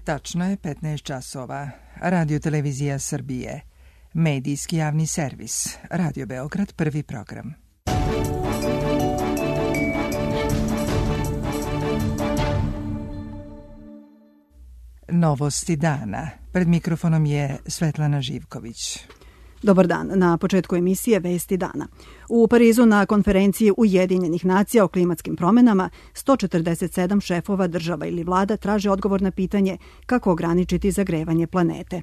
Tačno je 15 časova. Radio Televizija Srbije. Medijski javni servis. Radio Beograd, prvi program. Novosti dana. Pred mikrofonom je Svetlana Živković. Dobar dan. Na početku emisije Vesti dana. U Parizu na konferenciji Ujedinjenih nacija o klimatskim promenama 147 šefova država ili vlada traže odgovor na pitanje kako ograničiti zagrevanje planete.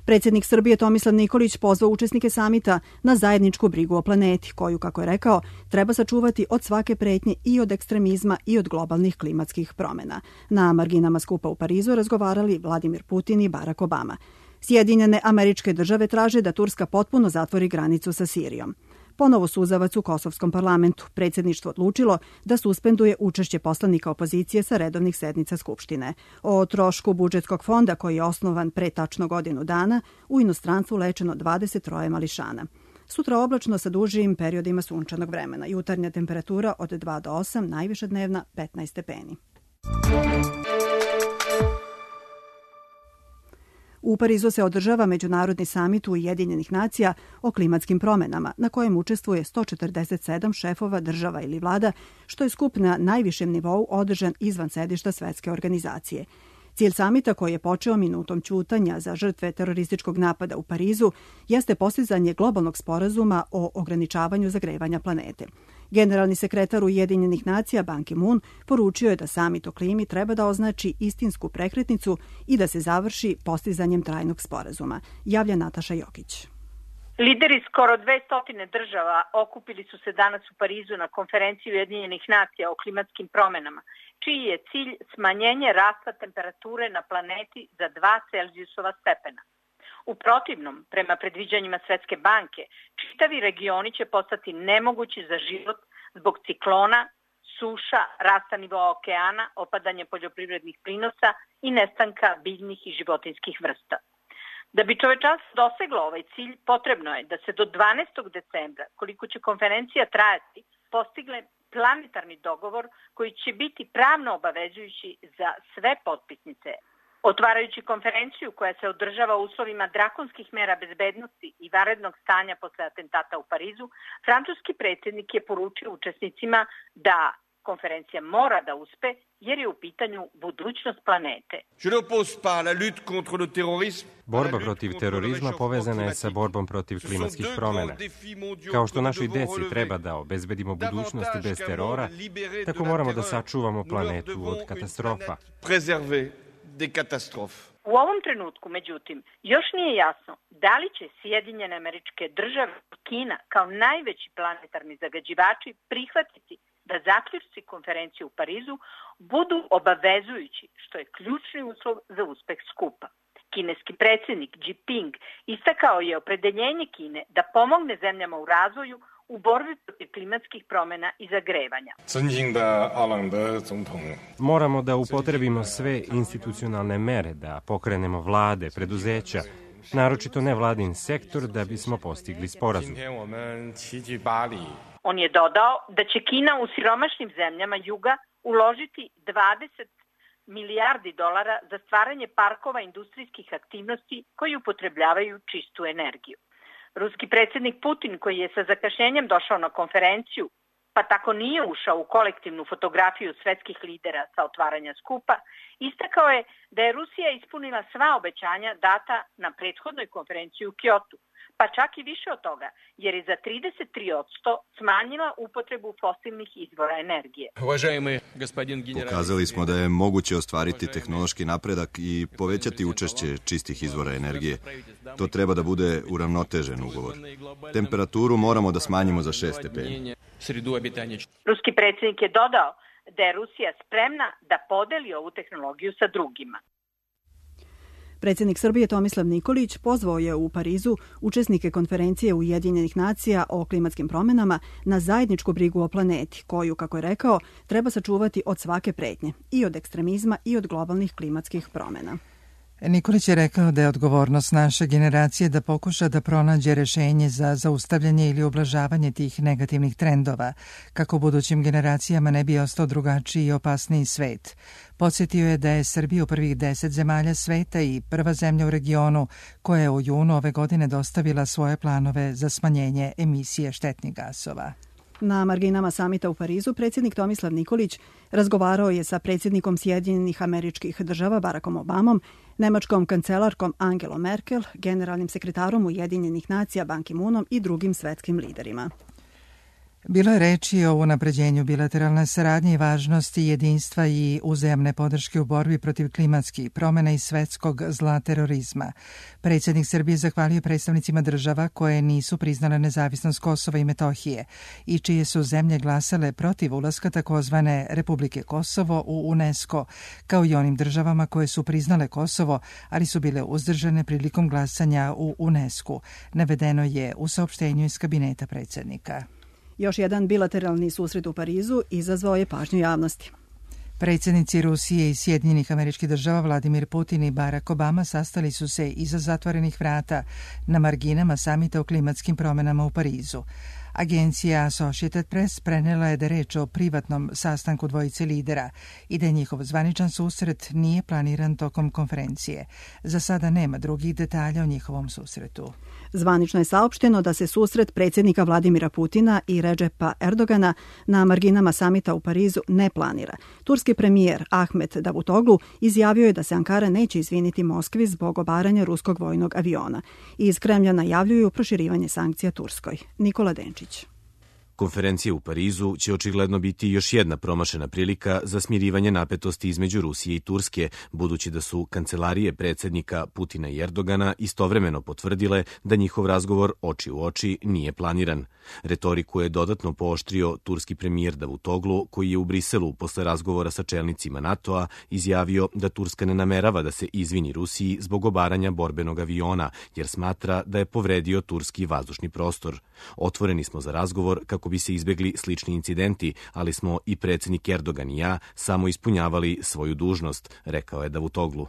Predsjednik Srbije Tomislav Nikolić pozvao učesnike samita na zajedničku brigu o planeti, koju, kako je rekao, treba sačuvati od svake pretnje i od ekstremizma i od globalnih klimatskih promjena. Na marginama skupa u Parizu razgovarali Vladimir Putin i Barack Obama. Sjedinjene Američke Države traže da Turska potpuno zatvori granicu sa Sirijom. Ponovo suzavac u kosovskom parlamentu. Predsjedništvo odlučilo da suspenduje učešće poslanika opozicije sa redovnih sednica Skupštine. O trošku budžetskog fonda, koji je osnovan pre tačno godinu dana, u inostranstvu lečeno 23 mališana. Sutra oblačno sa dužim periodima sunčanog vremena. Jutarnja temperatura od 2 do 8, najviša dnevna 15 stepeni. U Parizu se održava međunarodni samit Ujedinjenih nacija o klimatskim promjenama, na kojem učestvuje 147 šefova država ili vlada, što je skup na najvišem nivou održan izvan sedišta Svetske organizacije. Cilj samita, koji je počeo minutom ćutanja za žrtve terorističkog napada u Parizu, jeste postizanje globalnog sporazuma o ograničavanju zagrevanja planete. Generalni sekretar Ujedinjenih nacija Ban Ki-moon poručio je da samit o klimi treba da označi istinsku prekretnicu i da se završi postizanjem trajnog sporazuma. Javlja Nataša Jokić. Lideri skoro 200 država okupili su se danas u Parizu na konferenciji Ujedinjenih nacija o klimatskim promjenama, čiji je cilj smanjenje rasta temperature na planeti za 2 Celzijusova stepena. U protivnom, prema predviđanjima Svetske banke, čitavi regioni će postati nemogući za život zbog ciklona, suša, rasta nivoa okeana, opadanje poljoprivrednih prinosa i nestanka biljnih i životinjskih vrsta. Da bi čovečanstvo doseglo ovaj cilj, potrebno je da se do 12. decembra, koliko će konferencija trajati, postigne planetarni dogovor koji će biti pravno obavezujući za sve potpisnice. Otvarajući konferenciju koja se održava u uslovima drakonskih mera bezbednosti i vanrednog stanja posle atentata u Parizu, francuski predsjednik je poručio učesnicima da konferencija mora da uspe jer je u pitanju budućnost planete. Borba protiv terorizma povezana je sa borbom protiv klimatskih promjena. Kao što našoj deci treba da obezbedimo budućnosti bez terora, tako moramo da sačuvamo planetu od katastrofa. U ovom trenutku, međutim, još nije jasno da li će Sjedinjene Američke Države i Kina kao najveći planetarni zagađivači prihvatiti da zaključci konferencije u Parizu budu obavezujući, što je ključni uslov za uspeh skupa. Kineski predsjednik Xi Jinping istakao je opredeljenje Kine da pomogne zemljama u razvoju u borbi protiv klimatskih promjena i zagrevanja. Moramo da upotrebimo sve institucionalne mere, da pokrenemo vlade, preduzeća, naročito nevladin sektor, da bismo postigli sporazum. On je dodao da će Kina u siromašnim zemljama juga uložiti 20 milijardi dolara za stvaranje parkova industrijskih aktivnosti koji upotrebljavaju čistu energiju. Ruski predsjednik Putin, koji je sa zakašnjenjem došao na konferenciju, pa tako nije ušao u kolektivnu fotografiju svetskih lidera sa otvaranja skupa, istakao je da je Rusija ispunila sva obećanja data na prethodnoj konferenciji u Kyotu, pa čak i više od toga, jer je za 33% smanjila upotrebu fosilnih izvora energije. Pokazali smo da je moguće ostvariti tehnološki napredak i povećati učešće čistih izvora energije. To treba da bude uravnotežen ugovor. Temperaturu moramo da smanjimo za 6 stepeni. Ruski predsjednik je dodao da je Rusija spremna da podeli ovu tehnologiju sa drugima. Predsjednik Srbije Tomislav Nikolić pozvao je u Parizu učesnike konferencije Ujedinjenih nacija o klimatskim promjenama na zajedničku brigu o planeti, koju, kako je rekao, treba sačuvati od svake pretnje, i od ekstremizma i od globalnih klimatskih promjena. Nikolić je rekao da je odgovornost naše generacije da pokuša da pronađe rešenje za zaustavljanje ili ublažavanje tih negativnih trendova, kako budućim generacijama ne bi ostao drugačiji i opasniji svet. Podsjetio je da je Srbija u prvih 10 zemalja sveta i prva zemlja u regionu koja je u junu ove godine dostavila svoje planove za smanjenje emisije štetnih gasova. Na marginama samita u Parizu predsjednik Tomislav Nikolić razgovarao je sa predsjednikom Sjedinjenih Američkih Država Barackom Obamom, nemačkom kancelarkom Angelom Merkel, generalnim sekretarom Ujedinjenih nacija Ban Ki-moonom i drugim svetskim liderima. Bilo je reči o unapređenju bilateralne saradnje i važnosti jedinstva i uzajamne podrške u borbi protiv klimatskih promjena i svetskog zla terorizma. Predsjednik Srbije zahvalio predstavnicima država koje nisu priznale nezavisnost Kosova i Metohije i čije su zemlje glasale protiv ulaska takozvane Republike Kosovo u UNESCO, kao i onim državama koje su priznale Kosovo, ali su bile uzdržane prilikom glasanja u UNESCO. Navedeno je u saopštenju iz kabineta predsjednika. Još jedan bilateralni susret u Parizu izazvao je pažnju javnosti. Predsjednici Rusije i Sjedinjenih Američkih Država Vladimir Putin i Barack Obama sastali su se iza zatvorenih vrata na marginama samita o klimatskim promjenama u Parizu. Agencija Associated Press prenela je da reč o privatnom sastanku dvojice lidera i da njihov zvaničan susret nije planiran tokom konferencije. Za sada nema drugih detalja o njihovom susretu. Zvanično je saopšteno da se susret predsjednika Vladimira Putina i Redžepa Erdogana na marginama samita u Parizu ne planira. Turski premijer Ahmet Davutoglu izjavio je da se Ankara neće izviniti Moskvi zbog obaranja ruskog vojnog aviona. Iz Kremlja najavljuju proširivanje sankcija Turskoj. Nikola Denčić. Konferencija u Parizu će očigledno biti još jedna promašena prilika za smirivanje napetosti između Rusije i Turske, budući da su kancelarije predsjednika Putina i Erdogana istovremeno potvrdile da njihov razgovor oči u oči nije planiran. Retoriku je dodatno pooštrio turski premijer Davutoglu, koji je u Briselu posle razgovora sa čelnicima NATO-a izjavio da Turska ne namerava da se izvini Rusiji zbog obaranja borbenog aviona, jer smatra da je povredio turski vazdušni prostor. Otvoreni smo za razgovor kako bi se izbegli slični incidenti, ali smo i predsjednik Erdogan i ja samo ispunjavali svoju dužnost, rekao je Davutoglu.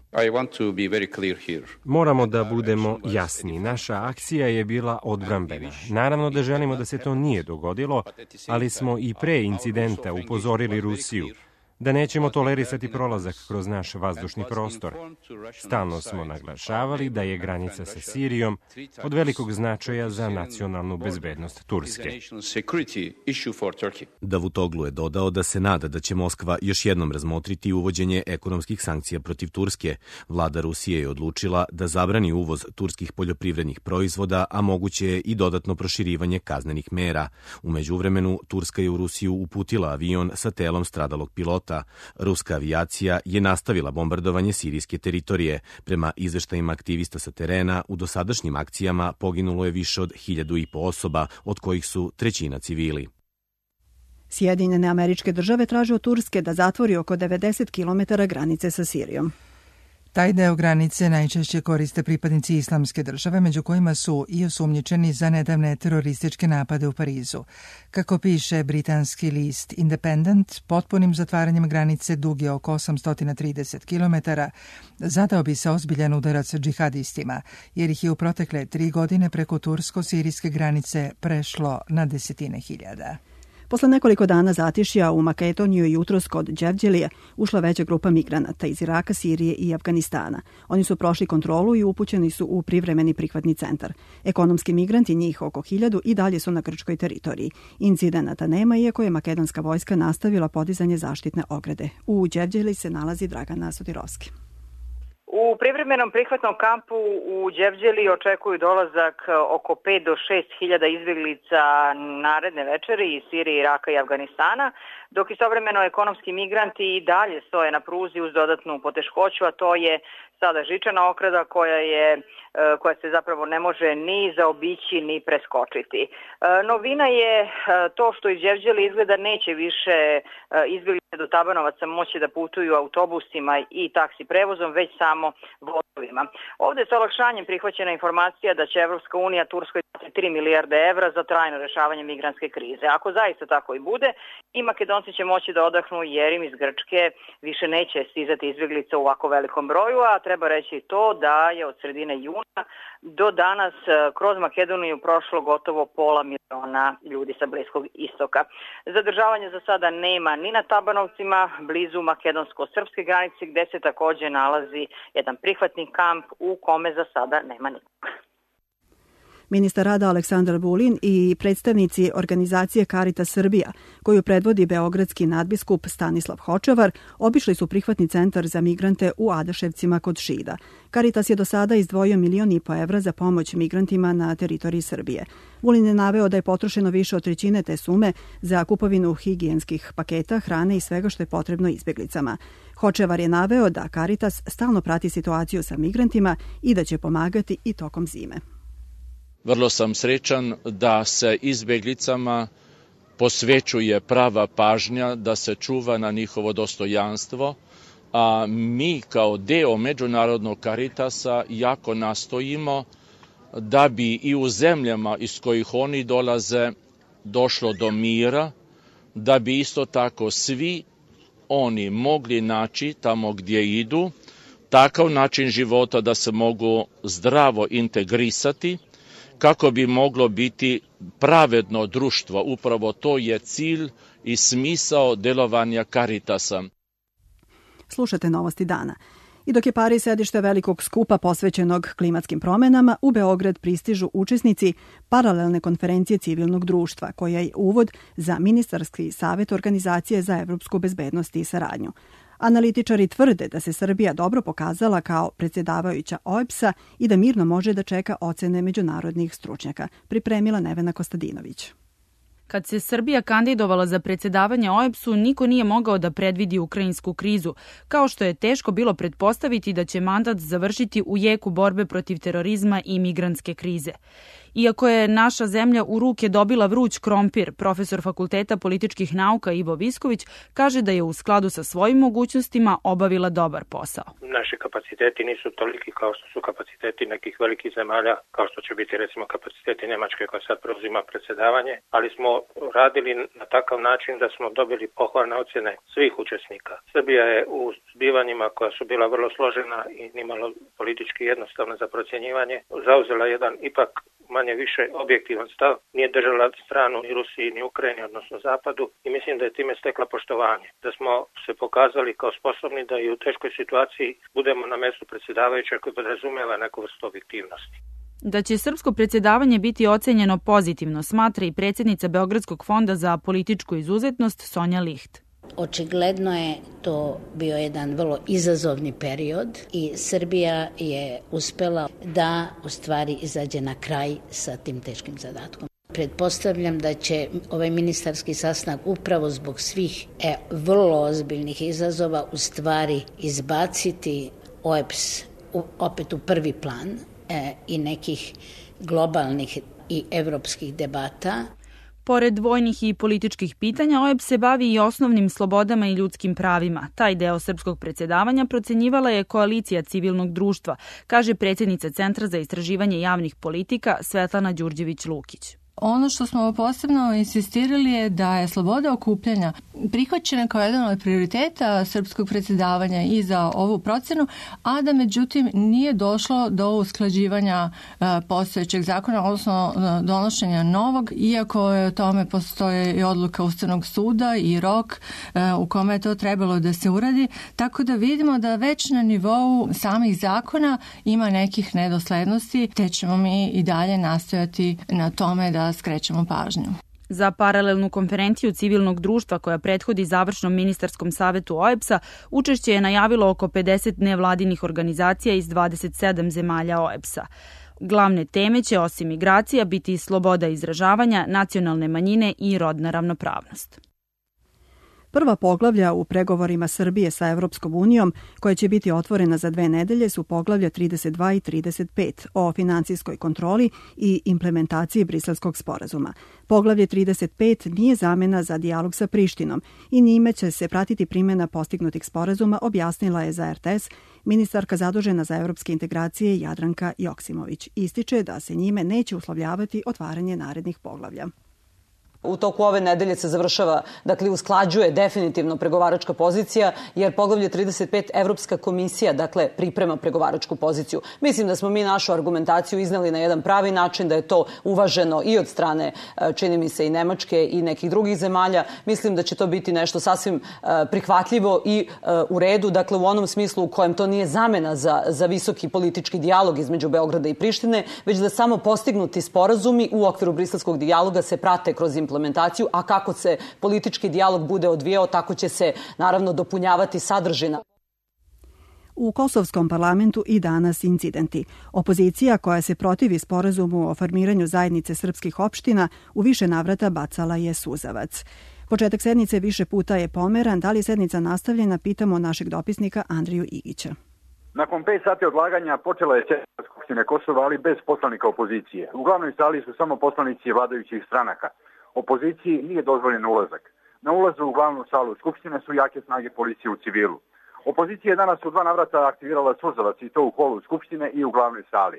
Moramo da budemo jasni. Naša akcija je bila odbrambena. Naravno da želimo da se to nije dogodilo, ali smo i pre incidenta upozorili Rusiju da nećemo tolerisati prolazak kroz naš vazdušni prostor. Stalno smo naglašavali da je granica sa Sirijom od velikog značaja za nacionalnu bezbednost Turske. Davutoglu je dodao da se nada da će Moskva još jednom razmotriti uvođenje ekonomskih sankcija protiv Turske. Vlada Rusije je odlučila da zabrani uvoz turskih poljoprivrednih proizvoda, a moguće je i dodatno proširivanje kaznenih mera. U međuvremenu, Turska je u Rusiju uputila avion sa telom stradalog pilota. Ruska avijacija je nastavila bombardovanje sirijske teritorije. Prema izveštajima aktivista sa terena, u dosadašnjim akcijama poginulo je više od 1.500 osoba, od kojih su trećina civili. Sjedinjene Američke Države traže od Turske da zatvori oko 90 km granice sa Sirijom. Taj deo granice najčešće koriste pripadnici Islamske države, među kojima su i osumnjičeni za nedavne terorističke napade u Parizu. Kako piše britanski list Independent, potpunim zatvaranjem granice duge oko 830 km zadao bi se ozbiljan udarac džihadistima, jer ih je u protekle 3 godine preko tursko-sirijske granice prešlo na desetine hiljada. Posle nekoliko dana zatišja u Makedoniju je jutros kod Đevđelije ušla veća grupa migranata iz Iraka, Sirije i Afganistana. Oni su prošli kontrolu i upućeni su u privremeni prihvatni centar. Ekonomski migranti, njih oko 1000, i dalje su na grčkoj teritoriji. Incidenata nema, iako je makedonska vojska nastavila podizanje zaštitne ograde. U Đevđeliji se nalazi Dragana Sotirovski. U privremenom prihvatnom kampu u Đevđeli očekuju dolazak oko 5 do 6 hiljada izbjeglica naredne večeri iz Sirije, Iraka i Afganistana, dok istovremeno ekonomski migranti i dalje stoje na pruzi uz dodatnu poteškoću, a to je sada žičana ograda koja se zapravo ne može ni zaobići ni preskočiti. Novina je to što iz Đevđeli izgleda neće više izbjeglice do Tabanovaca moći da putuju autobusima i taksi prevozom, već samo vozovima. Ovdje je sa olakšanjem prihvaćena informacija da će Evropska unija Turskoj dati 3 milijarde evra za trajno rješavanje migrantske krize. Ako zaista tako i bude, i Makedonci će moći da odahnu jer im iz Grčke više neće stizati izbjeglice u ovako velikom broju, a treba reći to da je od sredine juna do danas kroz Makedoniju prošlo gotovo 500.000 ljudi sa Bliskog istoka. Zadržavanje za sada nema ni na Tabanovcima, blizu makedonsko-srpske granice, gde se takođe nalazi jedan prihvatni kamp u kome za sada nema nikoga. Ministar rada Aleksandar Vulin i predstavnici organizacije Caritas Srbija, koju predvodi beogradski nadbiskup Stanislav Hočevar, obišli su prihvatni centar za migrante u Adaševcima kod Šida. Caritas je do sada izdvojio 1,5 miliona evra za pomoć migrantima na teritoriji Srbije. Vulin je naveo da je potrošeno više od 1/3 te sume za kupovinu higijenskih paketa, hrane i svega što je potrebno izbjeglicama. Hočevar je naveo da Caritas stalno prati situaciju sa migrantima i da će pomagati i tokom zime. Vrlo sam srećan da se izbjeglicama posvećuje prava pažnja, da se čuva na njihovo dostojanstvo, a mi kao deo Međunarodnog Caritasa jako nastojimo da bi i u zemljama iz kojih oni dolaze došlo do mira, da bi isto tako svi oni mogli naći tamo gdje idu takav način života da se mogu zdravo integrisati, kako bi moglo biti pravedno društvo. Upravo to je cilj i smisao delovanja Caritasa. Slušate Novosti dana. I dok je Pariz sedište velikog skupa posvećenog klimatskim promenama, u Beograd pristižu učesnici paralelne konferencije civilnog društva, koja je uvod za ministarski savjet Organizacije za evropsku bezbednost i saradnju. Analitičari tvrde da se Srbija dobro pokazala kao predsjedavajuća OEBS-a i da mirno može da čeka ocene međunarodnih stručnjaka, pripremila Nevena Kostadinović. Kad se Srbija kandidovala za predsjedavanje OEBS-u, niko nije mogao da predvidi ukrajinsku krizu, kao što je teško bilo pretpostaviti da će mandat završiti u jeku borbe protiv terorizma i migrantske krize. Iako je naša zemlja u ruke dobila vruć krompir, profesor Fakulteta političkih nauka Ivo Visković kaže da je u skladu sa svojim mogućnostima obavila dobar posao. Naši kapaciteti nisu toliki kao što su kapaciteti nekih velikih zemalja, kao što će biti recimo kapaciteti Njemačke koja sad preuzima predsjedavanje, ali smo radili na takav način da smo dobili pohvalne ocjene svih učesnika. Srbija je u zbivanjima koja su bila vrlo složena i nimalo politički jednostavna za procjenjivanje, zauzela jedan ipak manje više objektivan stav, nije držala stranu ni Rusiji ni Ukrajini, odnosno Zapadu, i mislim da je time stekla poštovanje. Da smo se pokazali kao sposobni da i u teškoj situaciji budemo na mjestu predsjedavajućeg koji podrazumijeva neku vrstu objektivnosti. Da će srpsko predsjedavanje biti ocenjeno pozitivno, smatra i predsjednica Beogradskog fonda za političku izuzetnost Sonja Licht. Očigledno je to bio jedan vrlo izazovni period i Srbija je uspela da u stvari izađe na kraj sa tim teškim zadatkom. Pretpostavljam da će ovaj ministarski sastanak upravo zbog svih vrlo ozbiljnih izazova u stvari izbaciti OEBS opet u prvi plan i nekih globalnih i evropskih debata. Pored vojnih i političkih pitanja, OEBS se bavi i osnovnim slobodama i ljudskim pravima. Taj deo srpskog predsjedavanja procenjivala je koalicija civilnog društva, kaže predsjednica Centra za istraživanje javnih politika Svetlana Đurđević-Lukić. Ono što smo posebno insistirali je da je sloboda okupljanja prihvaćena kao jedan od prioriteta srpskog predsjedavanja i za ovu procenu, a da međutim nije došlo do usklađivanja postojećeg zakona, odnosno donošenja novog, iako je o tome postoje i odluka Ustavnog suda i rok u kome je to trebalo da se uradi, tako da vidimo da već na nivou samih zakona ima nekih nedoslednosti, te ćemo mi i dalje nastojati na tome da skrećemo pažnju. Za paralelnu konferenciju civilnog društva koja prethodi završnom ministarskom savetu OEBS-a učešće je najavilo oko 50 nevladinih organizacija iz 27 zemalja OEBS-a. Glavne teme će osim migracija biti sloboda izražavanja, nacionalne manjine i rodna ravnopravnost. Prva poglavlja u pregovorima Srbije sa Evropskom unijom, koja će biti otvorena za 2 nedelje, su poglavlja 32 i 35 o financijskoj kontroli i implementaciji Briselskog sporazuma. Poglavlje 35 nije zamena za dijalog sa Prištinom i njime će se pratiti primjena postignutih sporazuma, objasnila je za RTS ministarka zadužena za evropske integracije Jadranka Joksimović. Ističe da se njime neće uslovljavati otvaranje narednih poglavlja. U toku ove nedelje se završava, dakle usklađuje definitivno pregovaračka pozicija, jer poglavlje 35 Evropska komisija, dakle, priprema pregovaračku poziciju. Mislim da smo mi našu argumentaciju izneli na jedan pravi način, da je to uvaženo i od strane, čini mi se, i Nemačke i nekih drugih zemalja. Mislim da će to biti nešto sasvim prihvatljivo i u redu, dakle u onom smislu u kojem to nije zamena za visoki politički dijalog između Beograda i Prištine, već da samo postignuti sporazumi u okviru briselskog dijaloga se prate kroz implementaciju, a kako se politički dijalog bude odvijao, tako će se naravno dopunjavati sadržina. U kosovskom parlamentu i danas incidenti. Opozicija koja se protivi sporazumu o formiranju zajednice srpskih opština u više navrata bacala je suzavac. Početak sednice više puta je pomeran. Da li je sednica nastavljena, pitamo našeg dopisnika Andriju Igića. Nakon 5 sati odlaganja počela je sednica Skupštine Kosova, ali bez poslanika opozicije. U glavnoj sali su samo poslanici vladajućih stranaka. Opoziciji nije dozvoljen ulazak. Na ulazu u glavnu salu Skupštine su jake snage policije u civilu. Opozicija je danas u 2 navrata aktivirala suzavac, i to u holu Skupštine i u glavnoj sali.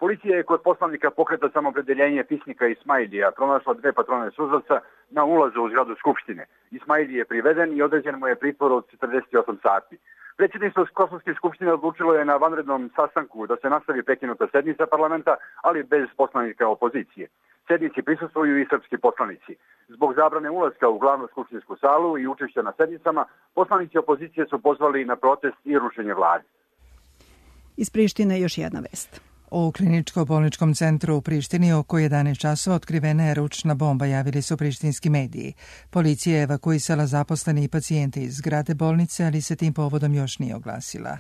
Policija je kod poslanika Pokreta Samoopredjeljenje Pisnika Ismailija pronašla 2 patrone suzavca na ulazu u zgradu Skupštine. Ismailij je priveden i određen mu je pritvor od 48 sati. Predsjedništvo Kosovske skupštine odlučilo je na vanrednom sastanku da se nastavi prekinuta sednica parlamenta, ali bez poslanika opozicije. Sednici prisustvuju i srpski poslanici. Zbog zabrane ulaska u glavnu skupštinsku salu i učešća na sednicama, poslanici opozicije su pozvali na protest i rušenje vlade. Iz Prištine još jedna vest. U kliničko-bolničkom centru u Prištini oko 11 časova otkrivena je ručna bomba, javili su prištinski mediji. Policija je evakuisala zaposlene i pacijente iz zgrade bolnice, ali se tim povodom još nije oglasila.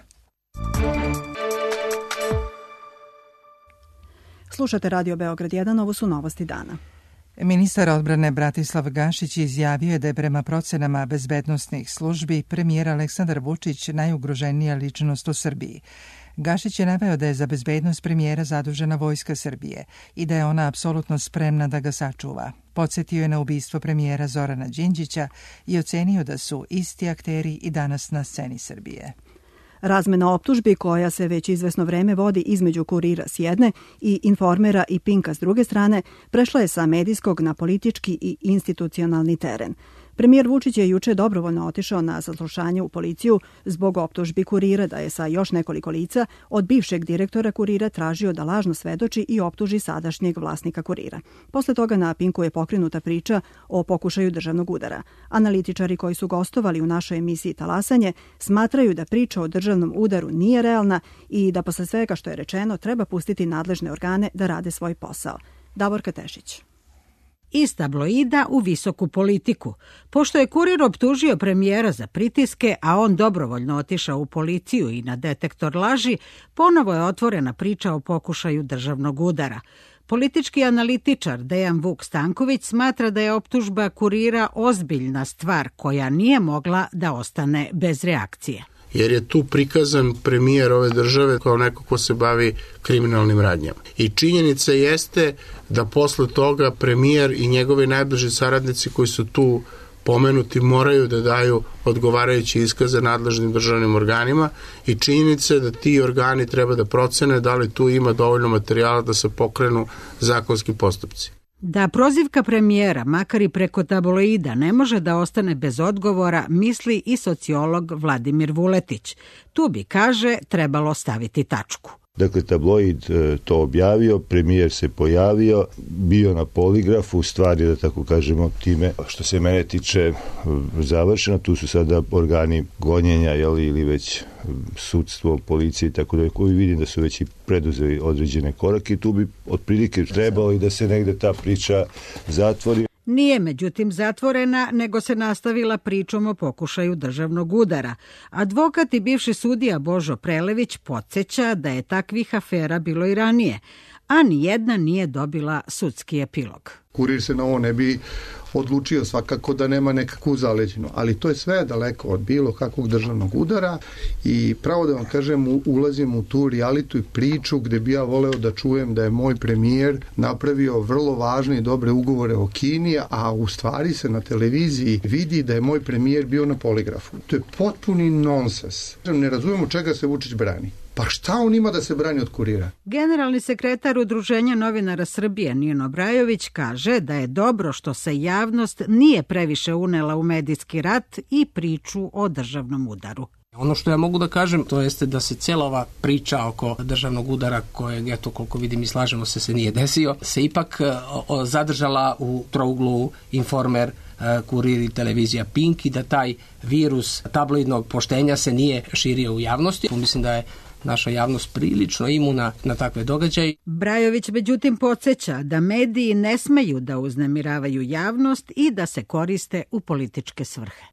Slušate Radio Beograd 1, ovo su novosti dana. Ministar odbrane Bratislav Gašić izjavio je da je prema procenama bezbednosnih službi premijer Aleksandar Vučić najugroženija ličnost u Srbiji. Gašić je naveo da je za bezbednost premijera zadužena Vojska Srbije i da je ona apsolutno spremna da ga sačuva. Podsjetio je na ubistvo premijera Zorana Đinđića i ocenio da su isti akteri i danas na sceni Srbije. Razmena optužbi koja se već izvesno vreme vodi između Kurira s jedne i Informera i Pinka s druge strane prešla je sa medijskog na politički i institucionalni teren. Premijer Vučić je juče dobrovoljno otišao na saslušanje u policiju zbog optužbi Kurira da je sa još nekoliko lica od bivšeg direktora Kurira tražio da lažno svedoči i optuži sadašnjeg vlasnika Kurira. Posle toga na Pinku je pokrenuta priča o pokušaju državnog udara. Analitičari koji su gostovali u našoj emisiji Talasanje smatraju da priča o državnom udaru nije realna i da posle svega što je rečeno treba pustiti nadležne organe da rade svoj posao. Davorka Tešić. Iz tabloida u visoku politiku. Pošto je Kurir optužio premijera za pritiske, a on dobrovoljno otišao u policiju i na detektor laži, ponovo je otvorena priča o pokušaju državnog udara. Politički analitičar Dejan Vuk Stanković smatra da je optužba Kurira ozbiljna stvar koja nije mogla da ostane bez reakcije. Jer je tu prikazan premijer ove države kao neko ko se bavi kriminalnim radnjama. I činjenica jeste da posle toga premijer i njegovi najbliži saradnici koji su tu pomenuti moraju da daju odgovarajući iskaze nadležnim državnim organima i činjenica je da ti organi treba da procene da li tu ima dovoljno materijala da se pokrenu zakonski postupci. Da prozivka premijera, makar i preko tabloida, ne može da ostane bez odgovora, misli i sociolog Vladimir Vuletić. Tu bi, kaže, trebalo staviti tačku. Dakle, tabloid to objavio, premijer se pojavio, bio na poligrafu, stvari, da tako kažemo, time što se mene tiče završeno. Tu su sada organi gonjenja, ili već sudstvo, policije i tako da, koji vidim da su već i preduzeli određene korake. Tu bi otprilike trebalo i da se negde ta priča zatvori. Nije međutim zatvorena, nego se nastavila pričom o pokušaju državnog udara. Advokat i bivši sudija Božo Prelević podsjeća da je takvih afera bilo i ranije, a nijedna nije dobila sudski epilog. Kurir se na ovo ne bi odlučio svakako da nema nekakvu zaleđinu, ali to je sve daleko od bilo kakvog državnog udara i pravo da vam kažem, ulazim u tu realitu i priču gde bi ja voleo da čujem da je moj premijer napravio vrlo važne i dobre ugovore o Kini, a u stvari se na televiziji vidi da je moj premijer bio na poligrafu. To je potpuni nonsens. Ne razumemo čega se Vučić brani. Pa šta on ima da se brani od kurira? Generalni sekretar Udruženja novinara Srbije Nino Brajović kaže da je dobro što se javnost nije previše unela u medijski rat i priču o državnom udaru. Ono što ja mogu da kažem, to jeste da se cijela ova priča oko državnog udara, kojeg, eto, koliko vidim i slažemo se nije desio, se ipak zadržala u trouglu Informer, Kurir i televizija Pink i da taj virus tabloidnog poštenja se nije širio u javnosti. Mislim da je naša javnost prilično imuna na takve događaje. Brajović međutim podsjeća da mediji ne smeju da uznemiravaju javnost i da se koriste u političke svrhe.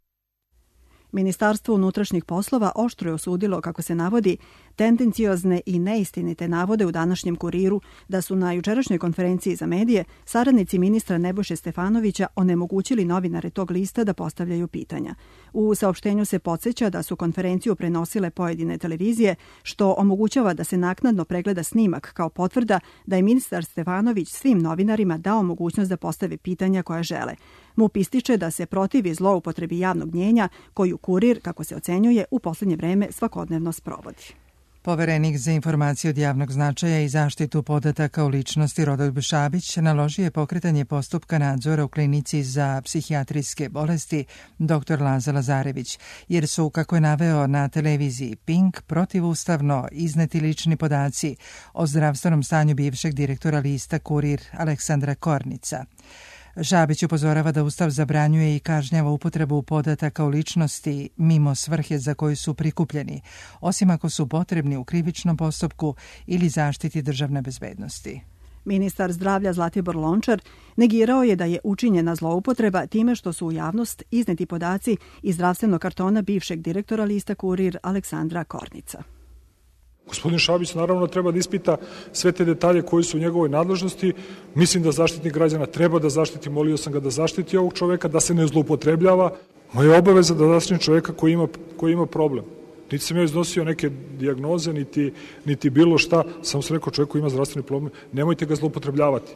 Ministarstvo unutrašnjih poslova oštro je osudilo, kako se navodi, tendenciozne i neistinite navode u današnjem Kuriru da su na jučerašnjoj konferenciji za medije saradnici ministra Nebojše Stefanovića onemogućili novinare tog lista da postavljaju pitanja. U saopštenju se podsjeća da su konferenciju prenosile pojedine televizije, što omogućava da se naknadno pregleda snimak kao potvrda da je ministar Stefanović svim novinarima dao mogućnost da postave pitanja koja žele. MUP ističe da se protivi zloupotrebi javnog mnjenja koju Kurir, kako se ocenjuje, u posljednje vreme svakodnevno sprovodi. Poverenik za informacije od javnog značaja i zaštitu podataka o ličnosti Rodoljub Šabić naložio je pokretanje postupka nadzora u klinici za psihijatrijske bolesti dr. Laza Lazarević, jer su, kako je naveo na televiziji Pink, protivustavno izneti lični podaci o zdravstvenom stanju bivšeg direktora lista Kurir Aleksandra Kornica. Šabić upozorava da Ustav zabranjuje i kažnjava upotrebu podataka o ličnosti mimo svrhe za koju su prikupljeni, osim ako su potrebni u krivičnom postupku ili zaštiti državne bezbednosti. Ministar zdravlja Zlatibor Lončar negirao je da je učinjena zloupotreba time što su u javnost izneti podaci iz zdravstvenog kartona bivšeg direktora lista Kurir Aleksandra Kornica. Gospodin Šabić naravno treba da ispita sve te detalje koji su u njegovoj nadležnosti. Mislim da Zaštitnik građana treba da zaštiti, molio sam ga da zaštiti ovog čoveka, da se ne zloupotrebljava. Moja obaveza da zaštitim čoveka koji ima problem. Niti sam ja iznosio neke dijagnoze, niti bilo šta, samo sam rekao čovjek koji ima zdravstveni problem, nemojte ga zloupotrebljavati.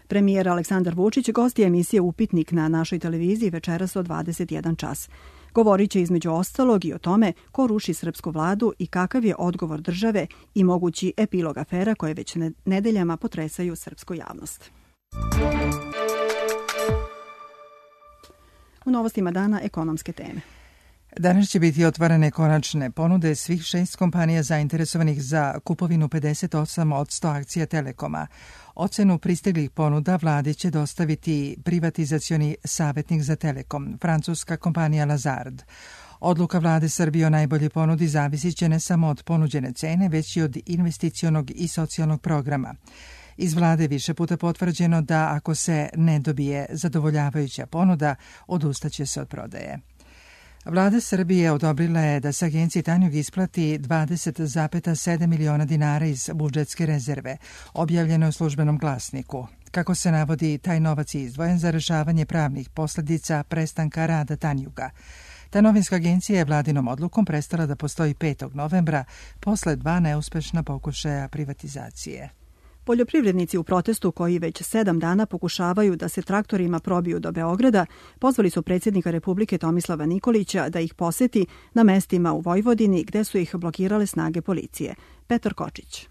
Premijer Aleksandar Vučić gost je emisije Upitnik na našoj televiziji večeras od 21 čas. Govorit će između ostalog i o tome ko ruši srpsku vladu i kakav je odgovor države i mogući epilog afera koje već nedeljama potresaju srpsku javnost. U novostima dana ekonomske teme. Danas će biti otvarane konačne ponude svih 6 kompanija zainteresovanih za kupovinu 58% akcija Telekoma. Ocenu pristiglih ponuda vladi će dostaviti privatizacioni savjetnik za Telekom, francuska kompanija Lazard. Odluka vlade Srbije o najbolje ponudi zavisit će ne samo od ponuđene cene, već i od investicionog i socijalnog programa. Iz vlade više puta potvrđeno da ako se ne dobije zadovoljavajuća ponuda, odustaće se od prodaje. Vlada Srbije odobrila je da se agenciji Tanjug isplati 20,7 miliona dinara iz budžetske rezerve, objavljeno u službenom glasniku. Kako se navodi, taj novac je izdvojen za rešavanje pravnih posljedica prestanka rada Tanjuga. Ta novinska agencija je vladinom odlukom prestala da postoji 5. novembra posle 2 neuspešna pokušaja privatizacije. Poljoprivrednici u protestu koji već 7 dana pokušavaju da se traktorima probiju do Beograda pozvali su predsjednika Republike Tomislava Nikolića da ih poseti na mestima u Vojvodini gde su ih blokirale snage policije. Petar Kočić.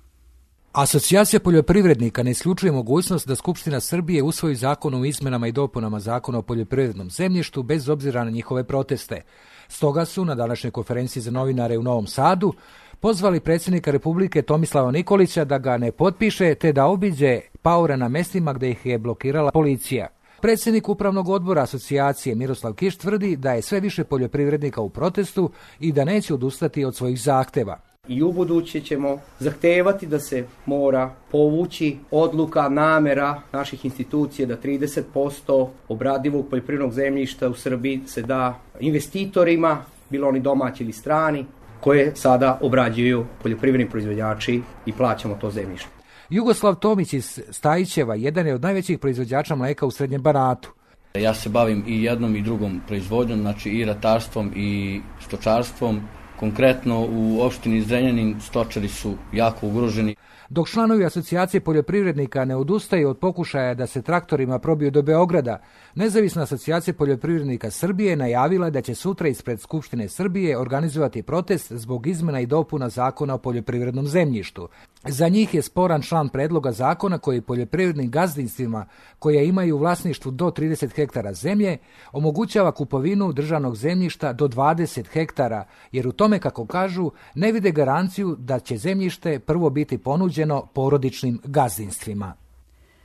Asocijacija poljoprivrednika ne isključuje mogućnost da Skupština Srbije usvoji zakon o izmenama i dopunama zakona o poljoprivrednom zemljištu bez obzira na njihove proteste. Stoga su na današnjoj konferenciji za novinare u Novom Sadu pozvali predsjednika Republike Tomislava Nikolića da ga ne potpiše te da obiđe paore na mestima gde ih je blokirala policija. Predsjednik Upravnog odbora asocijacije Miroslav Kiš tvrdi da je sve više poljoprivrednika u protestu i da neće odustati od svojih zahteva. I ubuduće ćemo zahtevati da se mora povući odluka, namera naših institucija da 30% obradivog poljoprivrednog zemljišta u Srbiji se da investitorima, bilo oni domaći ili strani, koje sada obrađuju poljoprivredni proizvođači i plaćamo to zemljište. Jugoslav Tomić iz Stajićeva jedan je od najvećih proizvođača mleka u Srednjem Banatu. Ja se bavim i jednom i drugom proizvodnjom, znači i ratarstvom i stočarstvom. Konkretno u opštini Zrenjanin stočari su jako ugroženi. Dok članovi asocijacije poljoprivrednika ne odustaju od pokušaja da se traktorima probiju do Beograda, Nezavisna asocijacija poljoprivrednika Srbije najavila da će sutra ispred Skupštine Srbije organizovati protest zbog izmena i dopuna zakona o poljoprivrednom zemljištu. Za njih je sporan član predloga zakona koji poljoprivrednim gazdinstvima koja imaju u vlasništvu do 30 hektara zemlje omogućava kupovinu državnog zemljišta do 20 hektara, jer u tome, kako kažu, ne vide garanciju da će zemljište prvo biti ponuđeno porodičnim gazdinstvima.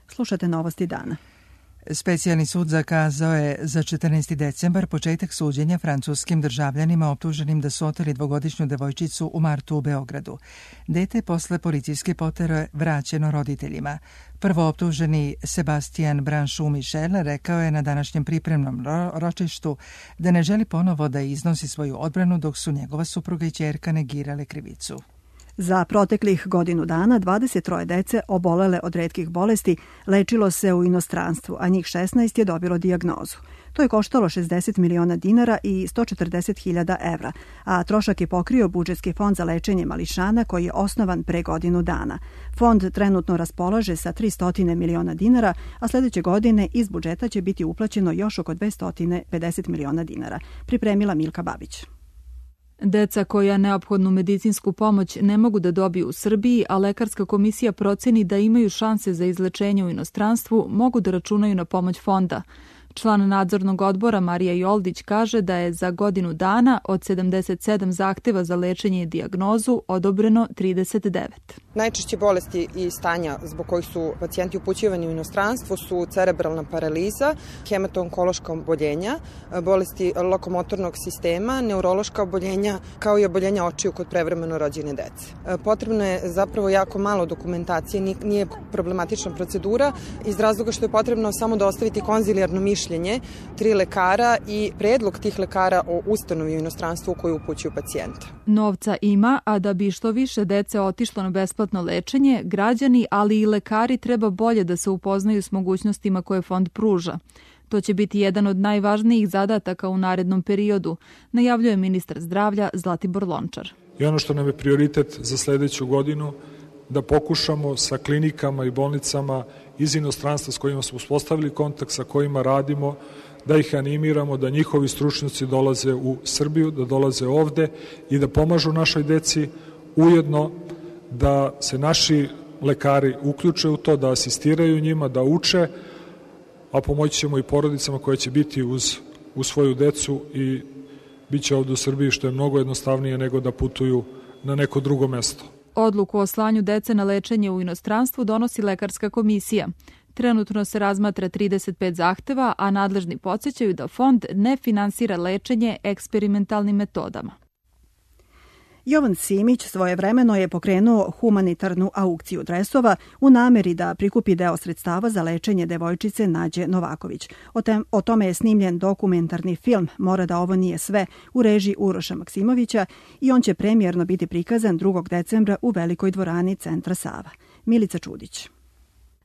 Slušate Novosti dana. Specijalni sud zakazao je za 14. decembar početak suđenja francuskim državljanima optuženim da su oteli dvogodišnju devojčicu u martu u Beogradu. Dete posle policijske potere vraćeno roditeljima. Prvo optuženi Sebastian Branchou Michel rekao je na današnjem pripremnom ročištu da ne želi ponovo da iznosi svoju odbranu dok su njegova supruga i ćerka negirale krivicu. Za proteklih godinu dana 23 dece obolele od retkih bolesti lečilo se u inostranstvu, a njih 16 je dobilo dijagnozu. To je koštalo 60 miliona dinara i 140.000 evra, a trošak je pokrio budžetski fond za lečenje mališana koji je osnovan pre godinu dana. Fond trenutno raspolaže sa 300 miliona dinara, a sljedeće godine iz budžeta će biti uplaćeno još oko 250 miliona dinara. Pripremila Milka Babić. Deca koja neophodnu medicinsku pomoć ne mogu da dobiju u Srbiji, a lekarska komisija proceni da imaju šanse za izlečenje u inostranstvu, mogu da računaju na pomoć fonda. Član nadzornog odbora Marija Joldić kaže da je za godinu dana od 77 zahteva za lečenje i dijagnozu odobreno 39. Najčešće bolesti i stanja zbog kojih su pacijenti upućivani u inostranstvo su cerebralna paraliza, hematonkološka oboljenja, bolesti lokomotornog sistema, neurološka oboljenja, kao i oboljenja očiju kod prevremeno rođene dece. Potrebno je zapravo jako malo dokumentacije, nije problematična procedura, iz razloga što je potrebno samo dostaviti konzilijarno mišljenje 3 lekara i predlog tih lekara o ustanovi u inostranstvu koju upućuju pacijenta. Novca ima, a da bi što više dece otišlo na besplatno lečenje, građani, ali i lekari treba bolje da se upoznaju s mogućnostima koje fond pruža. To će biti jedan od najvažnijih zadataka u narednom periodu, najavljuje ministar zdravlja Zlatibor Lončar. I ono što nam je prioritet za sljedeću godinu, da pokušamo sa klinikama i bolnicama iz inostranstva s kojima smo uspostavili kontakt, sa kojima radimo, da ih animiramo, da njihovi stručnjaci dolaze u Srbiju, da dolaze ovde i da pomažu našoj deci, ujedno da se naši lekari uključe u to, da asistiraju njima, da uče, a pomoći ćemo i porodicama koje će biti uz svoju decu i bit će ovde u Srbiji, što je mnogo jednostavnije nego da putuju na neko drugo mesto. Odluku o slanju dece na lečenje u inostranstvu donosi lekarska komisija. Trenutno se razmatra 35 zahteva, a nadležni podsjećaju da fond ne finansira lečenje eksperimentalnim metodama. Jovan Simić svojevremeno je pokrenuo humanitarnu aukciju dresova u nameri da prikupi deo sredstava za lečenje devojčice Nađe Novaković. O tome je snimljen dokumentarni film Mora da ovo nije sve u režiji Uroša Maksimovića i on će premijerno biti prikazan 2. decembra u Velikoj dvorani Centra Sava. Milica Čudić.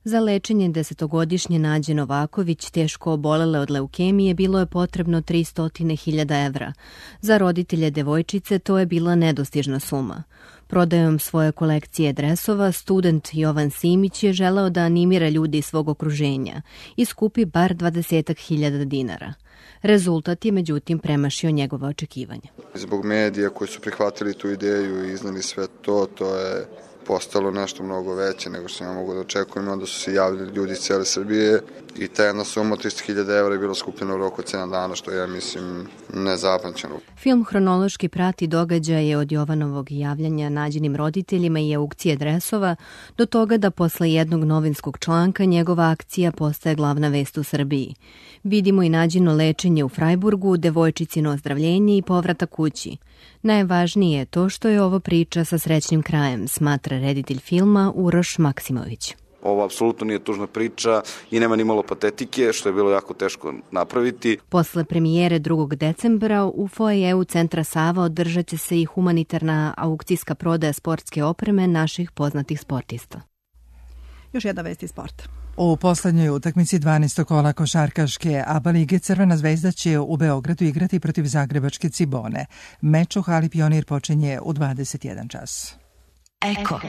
Za lečenje 10-godišnje Nađe Novaković, teško obolele od leukemije, bilo je potrebno 300.000 evra. Za roditelje devojčice to je bila nedostižna suma. Prodajom svoje kolekcije dresova, student Jovan Simić je želeo da animira ljudi iz svog okruženja i skupi bar 20.000 dinara. Rezultat je međutim premašio njegove očekivanja. Zbog medija koji su prihvatili tu ideju i iznali sve to je postalo nešto mnogo veće nego što ja mogu da očekujem. Onda su se javili ljudi iz cijele Srbije i ta jedna suma 300.000 evra je bilo skupljeno u roku od 7 dana, što je, mislim, nezapamćeno. Film hronološki prati događaje od Jovanovog javljanja Nađinim roditeljima i aukcije dresova do toga da posle jednog novinskog članka njegova akcija postaje glavna vest u Srbiji. Vidimo i Nađino lečenje u Frajburgu, devojčicino ozdravljenje i povrata kući. Najvažnije je to što je ovo priča sa srećnim krajem, smatra reditelj filma Uroš Maksimović. Ovo apsolutno nije tužna priča i nema ni malo patetike, što je bilo jako teško napraviti. Posle premijere 2. decembra u foajeu Centra Sava održat će se i humanitarna aukcijska prodaja sportske opreme naših poznatih sportista. Još jedna vest iz sporta. U poslednjoj utakmici 12. kola košarkaške ABA lige Crvena zvezda će u Beogradu igrati protiv zagrebačke Cibone. Meč u hali Pionir počinje u 21 čas. Eko.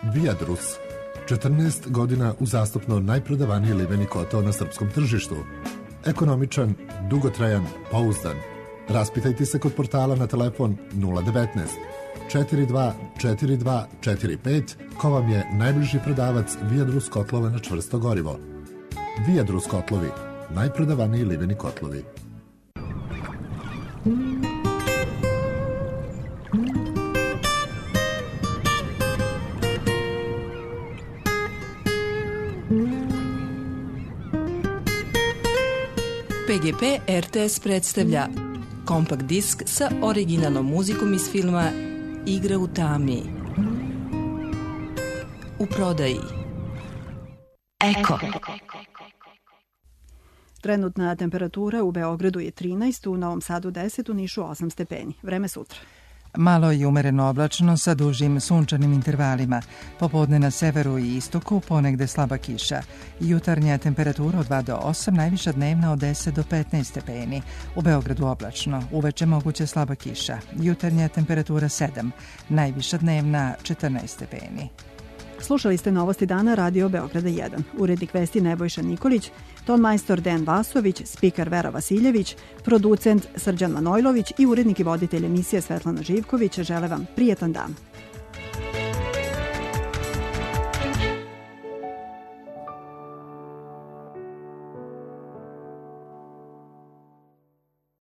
Viadrus, 14 godina uzastopno najprodavaniji liveni kotao na srpskom tržištu. Ekonomičan, dugotrajan, pouzdan. Raspitajte se kod portala na telefon 019 42 42 45 ko vam je najbliži prodavac Viadrus kotlova na čvrsto gorivo. Viadrus kotlovi, najprodavaniji liveni kotlovi. PGP RTS predstavlja kompakt disk sa originalnom muzikom iz filma Igra u tami. U prodaji Eko. Trenutna temperatura u Beogradu je 13, u Novom Sadu 10, u Nišu 8 stepeni. Vreme sutra. Malo i umereno oblačno sa dužim sunčanim intervalima. Popodne na severu i istoku ponegde slaba kiša. Jutarnja temperatura od 2 do 8, najviša dnevna od 10 do 15 stepeni. U Beogradu oblačno, uveče moguće slaba kiša. Jutarnja temperatura 7, najviša dnevna 14 stepeni. Slušali ste Novosti dana Radio Beograda 1. Urednik vesti Nebojša Nikolić, tonmajstor Dejan Vasović, spiker Vera Vasiljević, producent Srđan Manojlović i urednik i voditelj emisije Svetlana Živković žele vam prijetan dan.